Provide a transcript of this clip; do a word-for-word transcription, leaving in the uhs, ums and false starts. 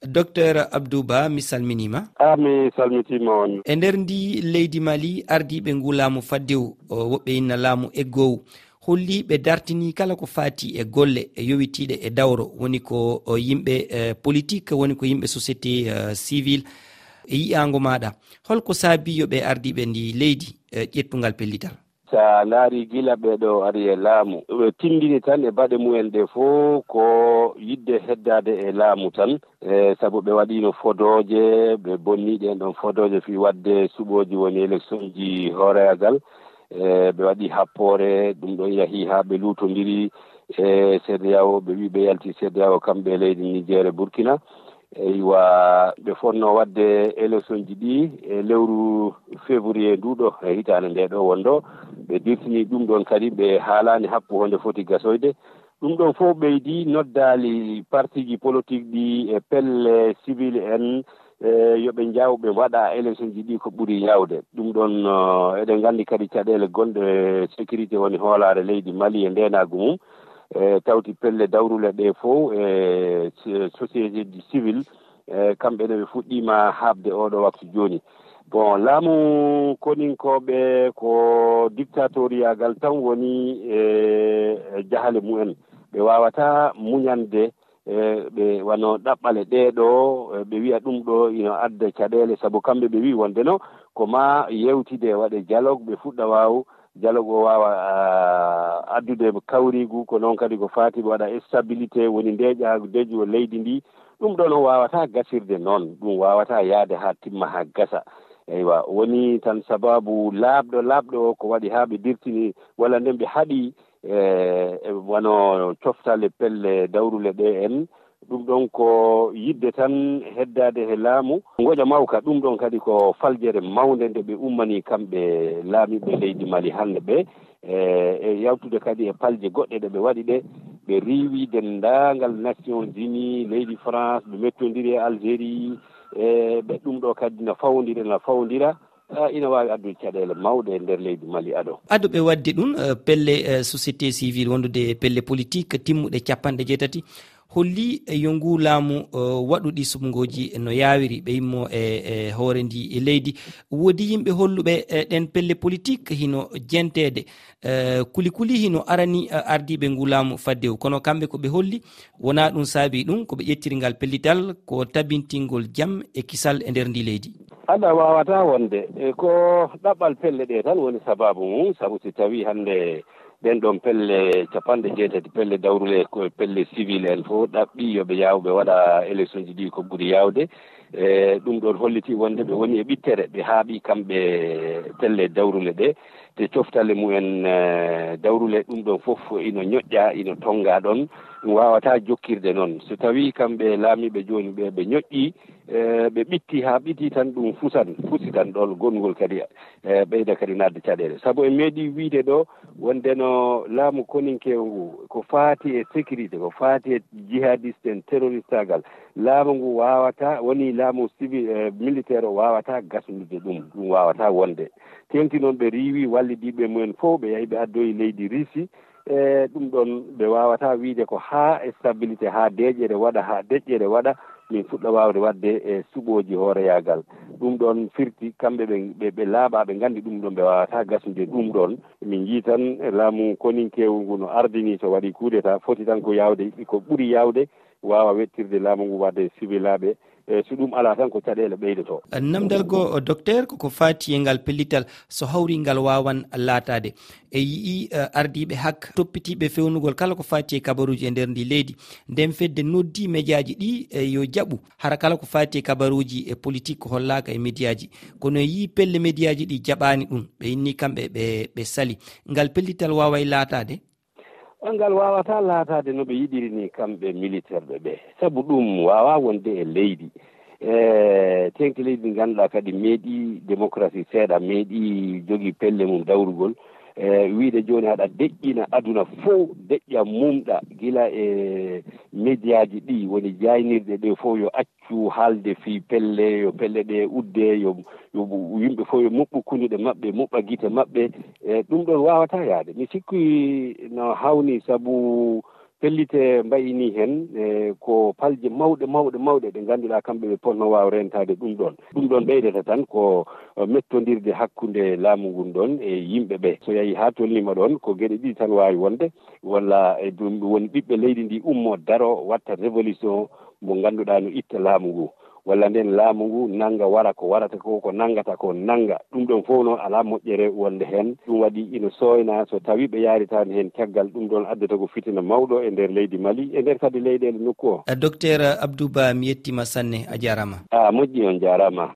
Docteur Abdou Ba, mi salminiima. A mi salmitiima on. E nder ndi leydi Mali, ardiiɓe ngu laamu faddewu, o, woɓɓe inna laamu eggoowu, holli ɓe dartini kala ko faati e golle e yowitiiɗe e dawro, woni ko, o, yimɓe, e, politique, woni ko yimɓe société, e, civile. E yi'aango maaɗa, holko saabi yo ɓe ardiiɓe ndi leydi, e, ƴettungal pellital? So a ndaari gila ɓee ɗoo ari e laamu, ɓe tinndini tan e baɗe mumen ɗee fof ko yiɗde heddaade e laamu tan, e sabu ɓe waɗiino fodooje, ɓe bonni ɗeen ɗoon fodooje fii waɗde suɓooji woni eleksionji hooreegal, e ɓe waɗi happoore, ɗum ɗoon yahii haa ɓe luutondiri e CEDEAO, ɓe wii ɓe yalti CEDEAO kamɓe e leydi Niger e Burkina. Eywa, ɓe fotnoo waɗde eleksionji ɗii e lewru février ndu ɗo, e hitaande nde ɗo wonɗo. Ɓe dirtini ɗum ɗoon kadi, ɓe haalaani hakku honde foti gasoyde. Ɗum ɗoon fof ɓeydi noddaali partiiji politik ɗi e pelle civil en, e yo ɓe njaw ɓe mbaɗa eleksionji ɗi ko ɓuri yaawde. Ɗum ɗoon, eh, eɗen nganndi kadi caɗeele gonɗe e sécurité woni hoolaare leydi Mali e ndeenaagu mum. E tawti pelle dawrule ɗe fof e so-, société civil, e kamɓe ne ɓe fuɗɗiima haaɓde oɗo waktu jooni. Bon, laamu koninkooɓe ko dictatoriyaagal tan woni e, e jahale mumen. Ɓe waawataa muñande, e ɓe wano ɗaɓɓale ɗee ɗo, e ɓe wiya ɗum ɗo ina adda caɗeele, sabu kamɓe ɓe wii wonde no ko maa yewtide waɗe dialogue, ɓe fuɗɗa waaw dialogue o waawa, ah, addude kawriigu, ko noon kadi ko faati ɓe waɗa stabilité, woni ndeeƴa deeƴuwo leydi ndi. Ɗum ɗoon o waawataa gasirde noon, ɗum waawataa yahde haa timma haa gasa. Eywa, woni tan sabaabu laaɓɗo, laaɓɗo o ko waɗi haa ɓe dirtini, walla nden ɓe haɗi, e, e wano coftale pelle dawrule ɗe en. Ɗum ɗoon ko yiɗde tan heddaade he laamu. Ngoƴa mawka, ɗum ɗoon kadi ko faljere mawnde nde ɓe ummanii kamɓe laamiiɓe leydi Mali hannde ɓe, e, e yawtude kadi e palje goɗɗe ɗe ɓe waɗi ɗe. Ɓe riiwi denndaangal Nations Unies, leydi France, ɓe mettondiri e Algérie, e ɓe ɗum ɗo kadi na fawondira, na fawondira. Ah, ina waawi addude caɗeele mawɗe e nder leydi Mali ado. Ado ɓe waɗde ɗum, eh, pelle, eh, société civile wondude e pelle politique timmuɗe capanɗe jeetati, holli, eh, yo nguu laamu, eh, waɗu ɗi suɓngooji no yaawiri, ɓe immo e, e hoore ndi e leydi. Woodi yimɓe holluɓe, eh, ɗen pelle politique hino jenteede, eh, kuli kuli hino arani, eh, ardiiɓe nguu laamu faddewu. Kono kamɓe ko ɓe holli, wonaa ɗum saabii ɗum, ko ɓe ƴettiri ngal pellital ko tabintingol jam e kisal e nder ndi leydi. Aɗa waawataa wonde, e ko ɗaɓɓal pelle ɗe tan woni sabaabu mum, sabu si tawii hannde ɗen ɗon pelle capanɗe jeetati, pelle dawrule ko pelle civil en fof ɗaɓɓi yo ɓe yaaw ɓe waɗa élection ji ɗi ko ɓuri yaawde. E ɗum ɗon holliti wonde ɓe woni e ɓittere, ɓe haaɓi kamɓe pelle dawrule ɗe, te coftale mumen, eh, dawrule ɗum ɗon fof ino ñoƴƴa, ino tonnga ɗon, ɗum waawataa jokkirde noon. So tawii kamɓe laamiiɓe jooni ɓe, ɓe ñoƴƴi, eh, ɓe ɓitti haa ɓitti tan ɗum fusan, fusitan ɗon gonngol kadi, eh, ɓeyda kadi naatde caɗeele. Sabu en meeɗi wiyde ɗo wonde no laamu koninkeewo ngu ko faati e sécurité, ko faati e jihadiste en, terroristaagal, laamu ngu waawataa, woni laamu civil, eh, militaire o waawataa gasnude ɗum, ɗum waawataa wonde. Teeŋti noon ɓe riiwi wallidiiɓe mumen fof, ɓe yahi ɓe addoyi leydi Russie, e ɗum ɗon ɓe waawataa wiyde ko haa stabilité, haa deeƴere waɗa, haa deƴƴere waɗa, min fuɗɗa waawde waɗde e suɓooji hooreyaagal. Ɗum ɗon firti kamɓe ɓe, ɓe, ɓe laaɓaa, ɓe nganndi ɗum ɗon, ɓe waawataa gasnude ɗum ɗon. Min njii tan laamu koninkeewu ngu no ardini, so waɗi coup d'état, foti tan ko yaawde, ko ɓuri yaawde, waawa wettirde laamu ngu waɗde siwilaaɓe. E so ɗum alaa tan ko caɗeele ɓeydoto. Namdal goo, docteur, koko faati e ngal pellital, so hawri ngal waawan laataade. E yi'i, eh, ardiiɓe hak toppitiiɓe fewnugol kala ko faati e kabaruuji e nder ndi leydi. Nden fedde noddi mejaaji ɗi, eh, yo jaɓu. Hara kala ko faati e kabaruuji e politik ko hollaaka e mediyaaji. Kono e yi'i pelle mediyaaji ɗi jaɓaani ɗum. Ɓe inni kamɓe ɓe, ɓe sali. Ngal pellital waaway laataade? Ngal waawataa laataade no ɓe yiɗiri ni kamɓe militerɓe ɓe. Sabu ɗum waawaa wonde e leydi. E teeŋti leydi ndi ngannduɗaa kadi meeɗi démocratie seeɗa, meeɗi jogii pelle mum dawrugol. E wiyde jooni aɗa deƴƴina aduna fof, deƴƴa mumɗa gila e mediyaaji ɗi woni jaaynirɗe ɗe fof yo accu haalde fii pelle, yo pelle ɗe udde, yo, yo yimɓe fof yo muɓɓu kunduɗe maɓɓe, muɓɓa gite maɓɓe. E ɗum ɗon waawataa yahde. Mi sikki no hawni sabu Pellite mbayi nii heen, e ko palje mawɗe mawɗe mawɗe ɗe ngannduɗaa kamɓe ɓe potno waaw reentaade ɗum ɗoon. Ɗum ɗoon ɓeydata tan ko mettondirde hakkunde laamu ngun ɗoon e yimɓe ɓe. So yahii haa tolniima ɗoon, ko geɗe ɗiɗi tan waawi wonde, walla e ɗum woni ɓiɓɓe leydi ndi ummo daro watta révolution mo ngannduɗaa no itta laamu ngu, walla nden laamu ngu nannga wara ko warata ko, ko nanngata ko nannga. Ɗum ɗoon fof noon alaa moƴƴere wonde heen. Ɗum waɗi ina sooyna so tawii ɓe yaaritaani heen caggal, ɗum ɗoon addata ko fitina mawɗo e nder leydi Mali, e nder kadi leyɗeele nokku o. Docteur Abdou Ba, mi yettima sanne, a jarama. A moƴƴi, on jarama.